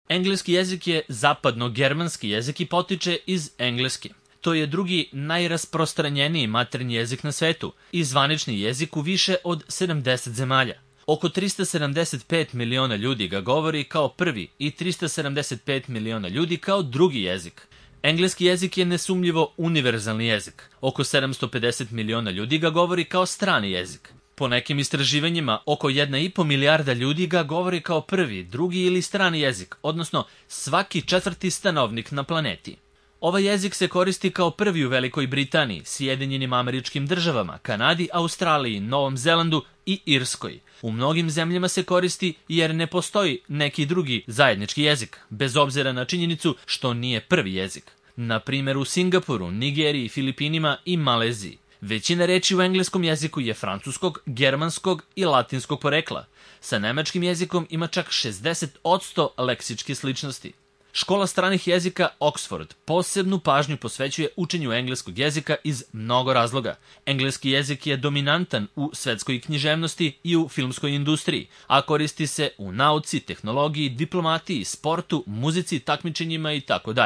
Engleski jezik je zapadno-germanski jezik i potiče iz Engleske. To je drugi najrasprostranjeniji maternji jezik na svetu i zvanični jezik u više od 70 zemalja. Oko 375 miliona ljudi ga govori kao prvi i 375 miliona ljudi kao drugi jezik. Engleski jezik je nesumnjivo univerzalni jezik. Oko 750 miliona ljudi ga govori kao strani jezik. Po nekim istraživanjima, oko 1,5 milijarda ljudi ga govori kao prvi, drugi ili strani jezik, odnosno svaki četvrti stanovnik na planeti. Ovaj jezik se koristi kao prvi u Velikoj Britaniji, Sjedinjenim Američkim Državama, Kanadi, Australiji, Novom Zelandu i Irskoj. U mnogim zemljama se koristi jer ne postoji neki drugi zajednički jezik, bez obzira na činjenicu što nije prvi jezik. Na primjer u Singapuru, Nigeriji, Filipinima i Maleziji. Većina reči u engleskom jeziku je francuskog, germanskog i latinskog porekla. Sa nemačkim jezikom ima čak 60% leksičke sličnosti. Škola stranih jezika Oxford posebnu pažnju posvećuje učenju engleskog jezika iz mnogo razloga. Engleski jezik je dominantan u svetskoj književnosti i u filmskoj industriji, a koristi se u nauci, tehnologiji, diplomatiji, sportu, muzici, takmičenjima itd.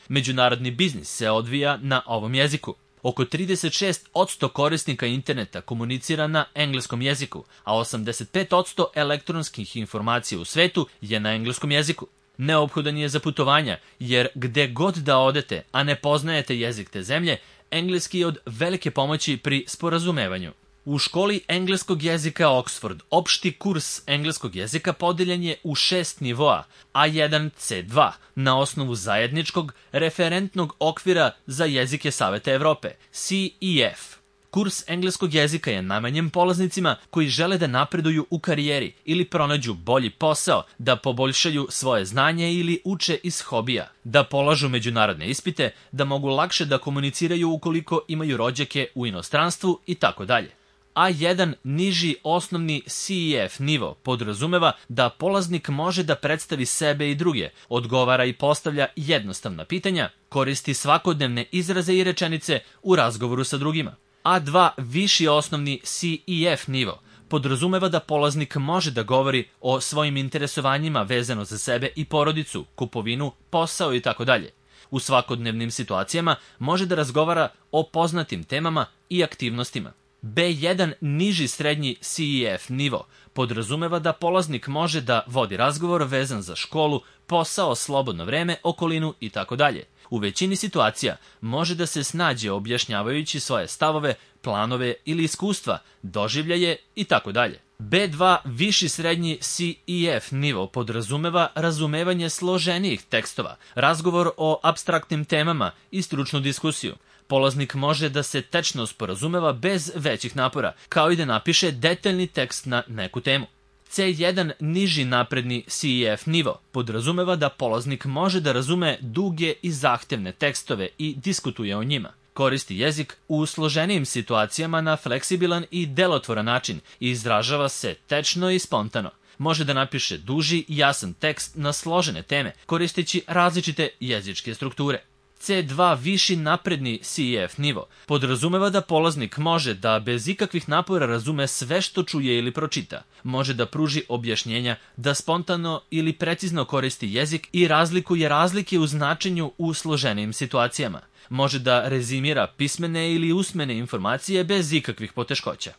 Međunarodni biznis se odvija na ovom jeziku. Oko 36% korisnika interneta komunicira na engleskom jeziku, a 85% elektronskih informacija u svetu je na engleskom jeziku. Neophodan je za putovanja, jer gde god da odete, a ne poznajete jezik te zemlje, engleski je od velike pomoći pri sporazumevanju. U školi engleskog jezika Oxford opšti kurs engleskog jezika podeljen je u 6 nivoa, A1, C2, na osnovu zajedničkog referentnog okvira za jezike Saveta Evrope, CEF. Kurs engleskog jezika je namenjen polaznicima koji žele da napreduju u karijeri ili pronađu bolji posao, da poboljšaju svoje znanje ili uče iz hobija, da polažu međunarodne ispite, da mogu lakše da komuniciraju ukoliko imaju rođake u inostranstvu itd. A1 niži osnovni CEF nivo podrazumeva da polaznik može da predstavi sebe i druge, odgovara i postavlja jednostavna pitanja, koristi svakodnevne izraze i rečenice u razgovoru sa drugima. A2 viši osnovni CEF nivo podrazumeva da polaznik može da govori o svojim interesovanjima vezano za sebe i porodicu, kupovinu, posao itd. U svakodnevnim situacijama može da razgovara o poznatim temama i aktivnostima. B1 niži srednji CEF nivo podrazumeva da polaznik može da vodi razgovor vezan za školu, posao, slobodno vreme, okolinu itd. U većini situacija može da se snađe objašnjavajući svoje stavove, planove ili iskustva, doživljaje itd. B2 viši srednji CEF nivo podrazumeva razumevanje složenijih tekstova, razgovor o apstraktnim temama i stručnu diskusiju. Polaznik može da se tečno sporazumeva bez većih napora, kao i da napiše detaljni tekst na neku temu. C1 niži napredni CEF nivo podrazumeva da polaznik može da razume duge i zahtevne tekstove i diskutuje o njima. Koristi jezik u složenijim situacijama na fleksibilan i delotvoran način i izražava se tečno i spontano. Može da napiše duži i jasan tekst na složene teme, koristeći različite jezičke strukture. C2 viši napredni CEF nivo podrazumeva da polaznik može da bez ikakvih napora razume sve što čuje ili pročita. Može da pruži objašnjenja, da spontano ili precizno koristi jezik i razlikuje razlike u značenju u složenijim situacijama. Može da rezimira pismene ili usmene informacije bez ikakvih poteškoća.